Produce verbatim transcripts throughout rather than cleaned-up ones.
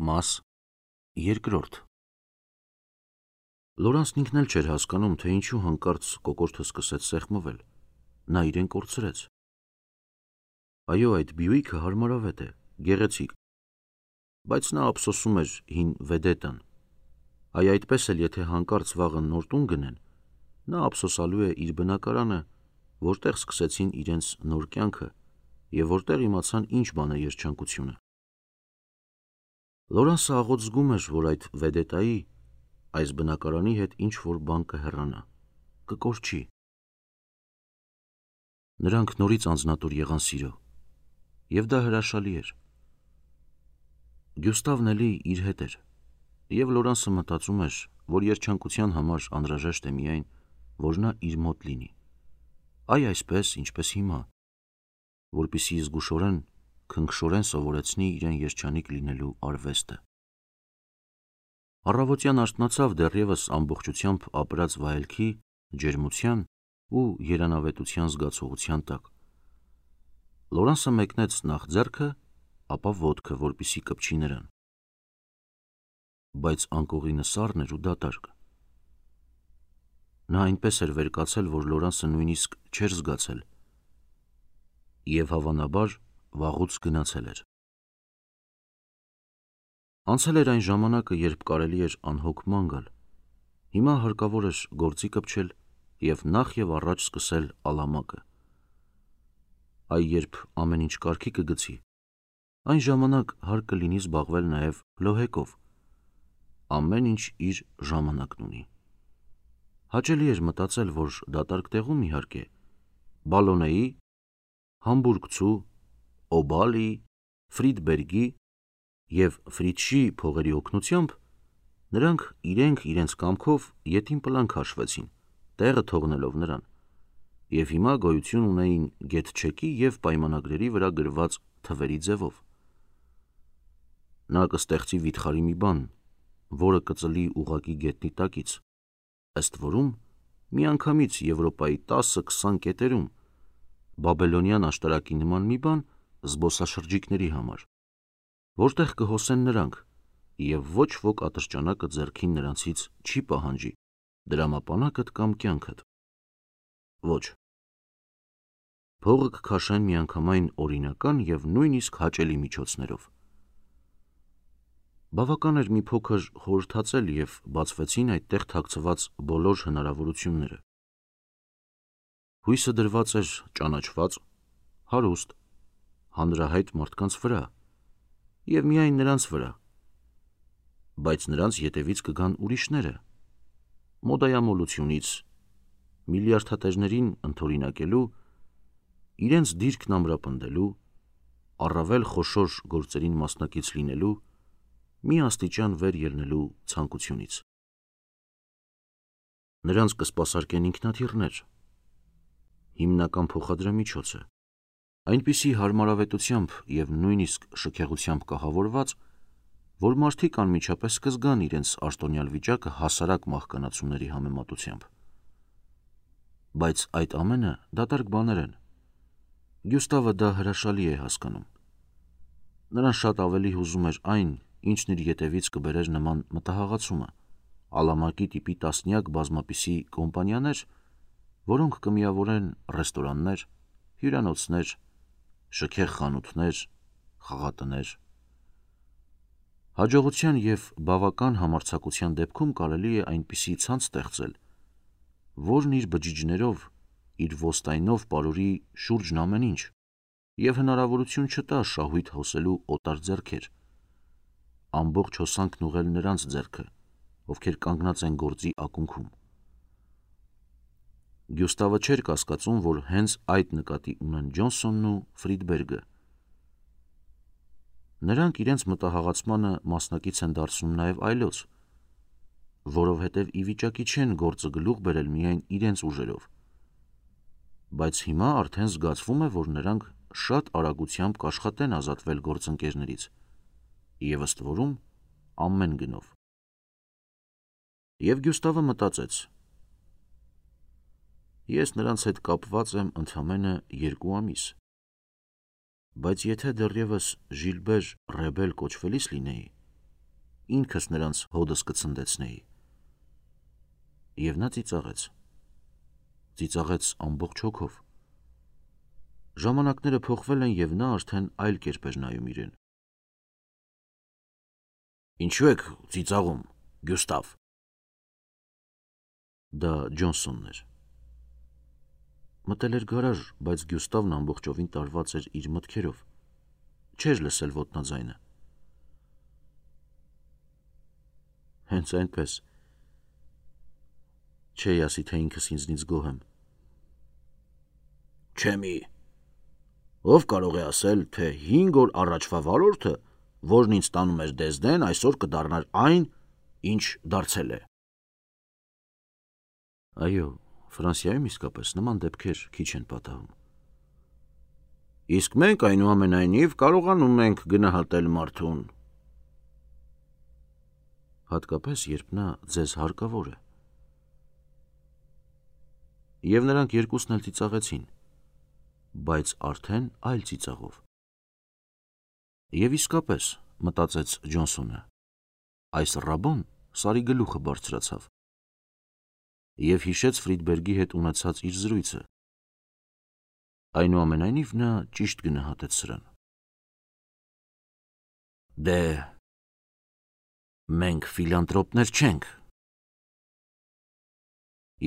Մաս երկրորդ Լորանսն ինքն էլ չէր հասկանում, թե ինչու հանկարծ կոկորդը սկսեց սեղմվել, նա իրեն կորցրեց: Այո, այդ Բյուիկը հարմարավետ է, գեղեցիկ, բայց նա ափսոսում էր հին Վեդետան, այ այդպես էլ եթե հանկարծ վաղը նոր տուն գնեն, նա ափսոսալու է իր բնակարանը, որտեղ սկսեցին իրենց նոր կյանքը և որտեղ իմացան ինչ բան է երջանկությունը: Լորանսը աղոտ զգում էր, որ այդ Վեդետայի, այս բնակարանի հետ ինչ-որ բան կհեռանա, կկորչի: Նրանք նորից անձնատուր եղան սիրո, և դա հրաշալի էր: Գյուստավն էլի իր հետ էր, և Լորանսը մտածում էր, որ երջանկության համար անհրաժեշտ է միայն, որ նա իր մոտ լինի, այ այսպես, ինչպես հիմա, որպեսզի զգուշորեն, քնքշորեն սովորեցնի իրեն երջանիկ լինելու արվեստը: Առավոտյան արթնացավ դեռևս ամբողջությամբ ապրած վայելքի, ջերմության ու երանավետության զգացողության տակ: Լորանսը մեկնեց նախ ձեռքը, ապա ոտքը, որպեսզի կպչի նրան: Բայց անկողինը սառն էր ու դատարկ: Նա այնպես էր վեր կացել, որ Լորանսը նույնիսկ չէր զգացել և հավանաբար վաղուց գնացել էր: Անցել էր այն ժամանակը, երբ կարելի էր անհոգ ման գալ, հիմա հարկավոր էր գործի կպչել և նախ և առաջ սկսել ալամակը: Այ երբ ամեն ինչ կարգի կգցի, այն ժամանակ հարկ կլինի զբաղվել նաև լոհեկով: Ամեն ինչ իր ժամանակն ունի: Հաճելի էր մտածել, որ դատարկ տեղում, իհարկե, Բալոնեի, Համբուրգցու, Օբալի, Ֆրիդբերգի և Ֆրիցշի փողերի օգնությամբ նրանք իրենք իրենց կամքով ետին քաշվեցին, տեղը թողնելով նրան, և հիմա գոյություն ունեին գետչեկի և պայմանագրերի վրա գրված թվերի ձևով: Նա կստեղծի վիթխարի մի բան, որը կծլի ուղղակի գետնի տակից, ըստ որում միանգամից Եվրոպայի տասը-քսան կետերում, բաբելոնյան աշտարակի նման մի բան զբոսաշրջիկների համար, որտեղ կհոսեն նրանք և ոչ ոք ատրճանակը ձեռքին նրանցից չի պահանջի, դրամապանակդ կամ կյանքդ: Ոչ: Փողը կքաշեն միանգամայն օրինական և նույնիսկ հաճելի միջոցներով: Բավական էր մի փոքր խորհրդածել և բացվեցին այդտեղ թաքցված բոլոր հնարավորությունները: Հույսը դրված էր ճանաչված, հարուստ, հանրահայտ մարդկանց վրա և միայն նրանց վրա: Բայց նրանց ետևից կգան ուրիշները, մոդայամոլությունից, միլիարդատերերին ընդօրինակելու, իրենց դիրքն ամրապնդելու, առավել խոշոր գործերին մասնակից լինելու, մի աստիճան վեր ելնելու ցանկությունից: Նրանց կսպասարկեն ինքնաթիռներ, հիմնական փոխադրամիջոցը, այնպիսի հարմարավետությամբ և նույնիսկ շքեղությամբ կահավորված, որ մարդիկ անմիջապես կզգան իրենց արտոնյալ վիճակը հասարակ մահկանացուների համեմատությամբ: Բայց այդ ամենը դատարկ բաներ են: Գյուստավը դա հրաշալի է հասկանում: Նրան շատ ավելի հուզում էր այն, ինչն իր ետևից կբերեր նման մտահաղացումը, ալամակի տիպի տասնյակ բազմապիսի կոմպանիաներ, որոնք կմիավորեն ռեստորաններ, հյուրանոցներ, շքեղ խանութներ, խաղատներ: Հաջողության և բավական համարձակության դեպքում կարելի է այնպիսի ցանց ստեղծել, որն իր բջիջներով, իր ոստայնով պարուրի շուրջն ամեն ինչ և հնարավորություն չտա շահույթ հոսելու օտար ձեռքեր, ամբողջ հոսանքն ուղղել նրանց ձեռքը, ովքեր կանգնած են գործի ակունքում: Գյուստավը չէր կասկածում, որ հենց այդ նկատի ունեն Ջոնսոնն ու Ֆրիդբերգը: Նրանք իրենց մտահաղացմանը մասնակից են դարձնում նաև այլոց, որովհետև ի վիճակի չեն գործը գլուխ բերել միայն իրենց ուժերով: Բայց հիմա արդեն զգացվում է, որ նրանք շատ արագությամբ կաշխատեն ազատվել գործընկերներից և ըստ որում ամեն գնով: Եվ Գյուստավը մտածեց. Ես նրանց հետ կապված եմ ընդամենը երկու ամիս, բայց եթե դեռևս Ժիլբեր Ռեբել կոչվելիս լինեի, ինքս նրանց հոդս կցնդեցնեի։ Եվ նա ծիծաղեց։ Ծիծաղեց ամբողջ հոգով։ Ժամանակները փոխվել են և նա արդեն այլ կերպ էր նայում իրեն։ Ինչու եք ծիծաղում, Գյուստավ։ Դա Ջոնսոնն էր։ Մտել էր գարաժ, բայց Գյուստավն ամբողջովին տարված էր իր մտքերով, չէր լսել ոտնաձայնը։ Հենց այնպես, չէի ասի, թե ինքս ինձնից գոհ եմ։ Չէ մի, ով կարող է ասել, թե հինգ օր առաջվա վարորդը, որն ինձ տանում էր Դեզդեն, այսօր կդառնար այն, ինչ դարձել է։ Այո, Ֆրանսիայում իսկապես նման դեպքեր քիչ են պատահում։ Իսկ մենք այնուամենայնիվ կարողանում ենք գնահատել մարդուն։ Հատկապես, երբ նա ձեզ հարկավոր է։ Եվ նրանք երկուսն էլ ծիծաղեցին, բայց արդեն այլ ծիծաղով։ Եվ իսկապես, մտածեց Ջոնսոնը, այս ռաբոն Սարի գլուխը բարձրացավ և հիշեց Ֆրիդբերգի հետ ունեցած իր զրույցը։ Այնուամենայնիվ նա ճիշտ գնահատեց սրան։ Դե, մենք ֆիլանտրոպներ չենք։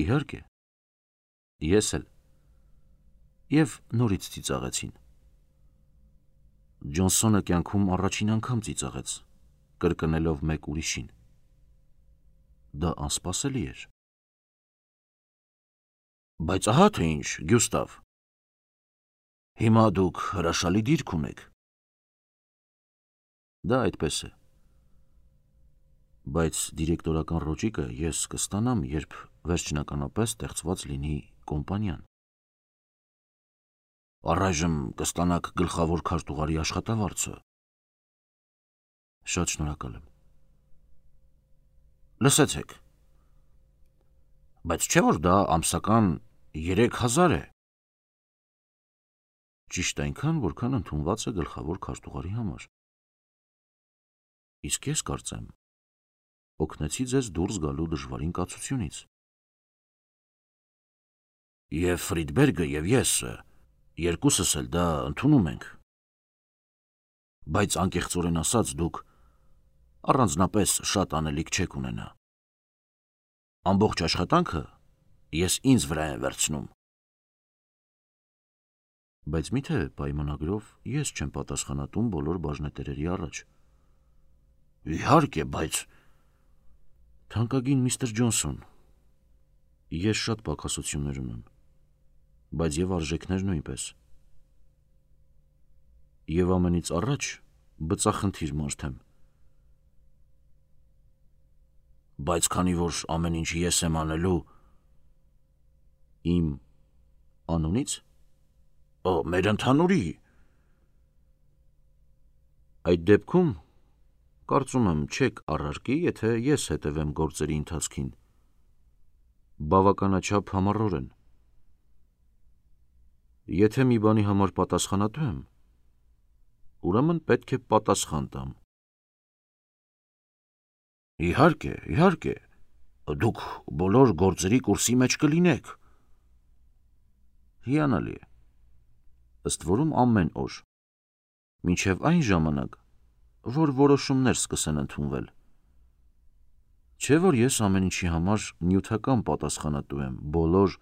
Իհարկե, ես էլ։ Եվ նորից ծիծաղեցին։ Ջոնսոնը կյանքում առաջին անգամ ծիծաղեց, կրկնելով մեկ ուրիշին։ Դա անսպասելի էր։ Բայց ահա թե ինչ, Գյուստավ, հիմա դուք հրաշալի դիրք ունեք։ Դա այդպես է։ Բայց դիրեկտորական ռոճիկը ես կստանամ, երբ վերջնականապես ստեղծված լինի կոմպանիան։ Առայժմ կստանաք գլխավոր քարտուղարի աշխատավարձը։ Շատ շնորհակալ եմ։ Լսեցեք։ Բայց չէ՞ որ դա ամսական երեք հազար է։ Ճիշտ այնքան, որքան ընդունված է գլխավոր քարտուղարի համար։ Իսկ ես կարծեմ, օգնեցի ձեզ դուրս գալու դժվարին կացությունից։ Եվ Ֆրիդբերգը և ես, երկուսս էլ դա ընդունում ենք։ Բայց անկեղծորեն ասած, դուք առանձնապես շատ անելիք չեք ունենա։ Ամբողջ աշխատանքը ես ինձ վրա եմ վերցնում։ Բայց միթե պայմանագրով ես չեմ պատասխանատուն բոլոր բաժնետերերի առաջ։ Իհարկե, բայց… Թանկագին միստր Ջոնսոն, ես շատ պակասություններ ունեմ, բայց և արժեքներ նույնպես։ Եվ ամենից առաջ բծախնդիր մարդ եմ։ Բայց քանի որ ամեն ինչ ես եմ անելու… Իմ անունից։ Օ, մեր ընդհանուրի… Այդ դեպքում, կարծում եմ, չեք առարկի, եթե ես հետևեմ գործերի ընթացքին։ Բավականաչափ համառորեն։ Եթե մի բանի համար պատասխանատու եմ, ուրեմն պետք է պատասխան տամ։ Իհարկե, իհարկե, դուք բոլոր գործերի կուրսի մեջ կլինեք։ Հիանալի է։ Ըստ որում ամեն օր, մինչև այն ժամանակ, որ որոշումներ սկսեն ընդունվել։ Չէ՞ որ ես ամեն ինչի համար նյութական պատասխանատու եմ, բոլոր…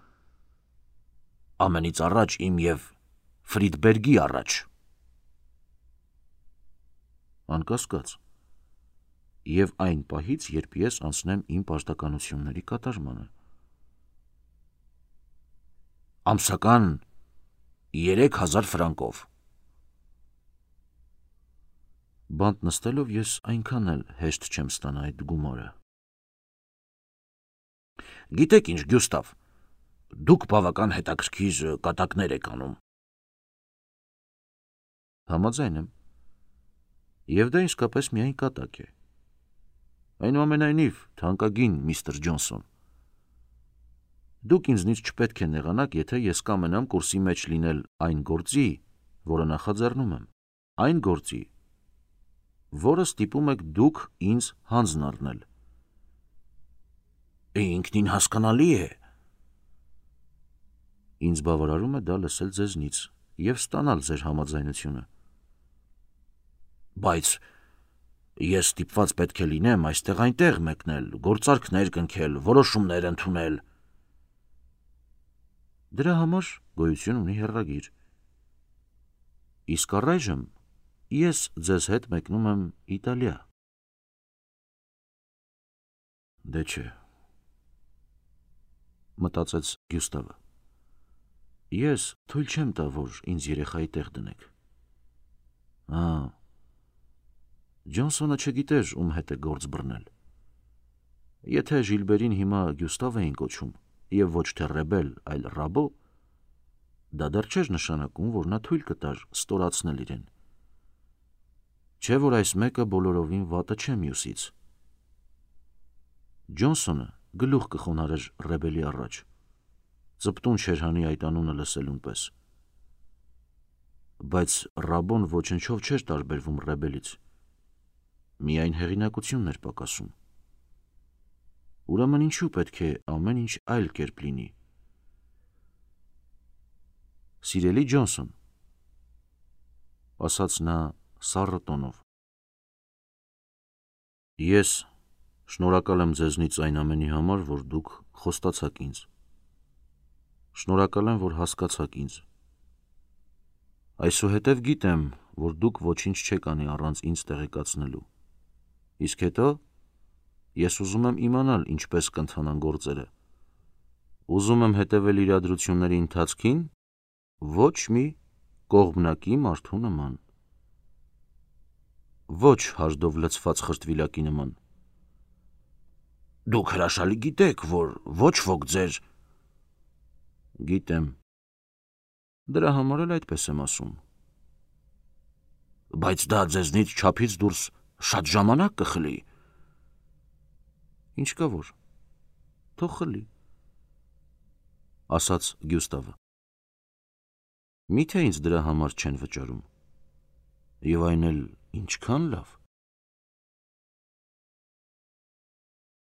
Ամենից առաջ իմ և Ֆրիդբերգի առաջ։ Անկասկած։ Եվ այն պահից, երբ ես անցնեմ իմ պարտականությունների կատարմանը։ Ամսական երեք հազար ֆրանկով։ Բանտ նստելով ես այնքան էլ հեշտ չեմ ստանա այդ գումարը։ Գիտեք ինչ, Գյուստավ, դուք բավական հետաքրքիր կատակներ եք անում։ Համաձայն եմ։ Եվ դա իսկապես միայն կատակ է։ Այնուամենայնիվ, թանկագին միստր Ջոնսոն, դուք ինձնից չպետք է նեղանաք, եթե ես կամենամ կուրսի մեջ լինել այն գործի, որը նախաձեռնում եմ, այն գործի, որը ստիպում եք դուք ինձ հանձն առնել։ Ինքնին հասկանալի է։ Ինձ բավարարում է դա լսել ձեզնից և ստանալ ձեր համաձայնությունը։ Բայց ես ստիպված պետք է լինեմ այստեղ այնտեղ մեկնել, գործարքներ կնքել, որոշումներ ընդունել։ Դրա համար գոյություն ունի հեռագիր։ Իսկ առայժմ ես ձեզ հետ մեկնում եմ Իտալիա։ Դե չէ, մտածեց Գյուստավը։ Ես թույլ չեմ տա, որ ինձ երեխայի տեղ դնեք։ Ա, Ջոնսոնը չգիտեր, ում հետ է գործ բռնել։ Եթե Ժիլբերին հիմա Գյուստավ էին կոչում, և ոչ թե ռեբել, այլ ռաբո, դա դեռ չէր նշանակում, որ նա թույլ կտար ստորացնել իրեն։ Չէ՞ որ այս մեկը բոլորովին վատը չէ մյուսից։ Ջոնսոնը գլուխ կխոնարհեր ռեբելի առաջ, ծպտուն չէր հանի այդ անունը լսելուն պես։ Բայց ռաբոն ոչնչով չէր տարբերվում ռեբելից, միայն հեղինակությունն էր պակասում։ Ուրեմն ինչու պետք է ամեն ինչ այլ կերպ լինի։ Սիրելի Ջոնսոն, ասաց նա սառը տոնով, ես շնորհակալ եմ ձեզնից այն ամենի համար, որ դուք խոստացաք ինձ։ Շնորհակալ եմ, որ հասկացաք ինձ։ Այսուհետև գիտեմ, որ դուք ոչինչ չեք անի առանց ինձ տեղեկացնելու։ Իսկ հետո ես ուզում եմ իմանալ ինչպես կընթանան գործերը։ Ուզում եմ հետևել իրադրությունների ընթացքին ոչ մի կողմնակի մարդու նման։ Ոչ հաշտով լցված խրտվիլակի նման։ Դուք հրաշալի գիտեք, որ ոչ ոք ձեր… Գիտեմ։ Դրա համար էլ այդպես եմ ասում։ Բայց դա ձեզնից չափից դուրս շատ ժամանակ կխլի։ Ինչ կա որ, թող խլի, ասաց Գյուստավը։ Միթե ինձ դրա համար չեն վճարում։ Եվ այն էլ ինչքան լավ։